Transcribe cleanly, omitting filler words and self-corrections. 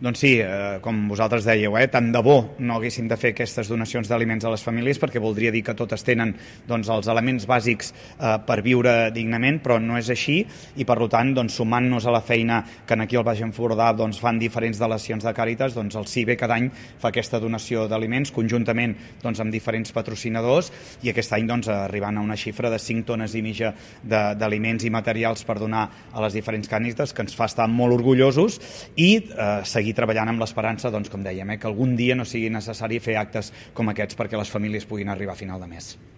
Doncs sí, com vosaltres dèieu, tant de bo no haguéssim de fer aquestes donacions d'aliments a les famílies, perquè voldria dir que totes tenen doncs, els elements bàsics per viure dignament, però no és així, i per tant, doncs, sumant-nos a la feina que aquí al Baix Empordà doncs, fan diferents delegacions de Càritas, doncs, el CIBE cada any fa aquesta donació d'aliments conjuntament doncs, amb diferents patrocinadors, i aquest any doncs, arribant a una xifra de 5 tones i mitja d'aliments i materials per donar a les diferents Càritas, que ens fa estar molt orgullosos, i seguir treballant amb l'esperança, doncs, com dèiem, que algun dia no sigui necessari fer actes com aquests perquè les famílies puguin arribar a final de mes.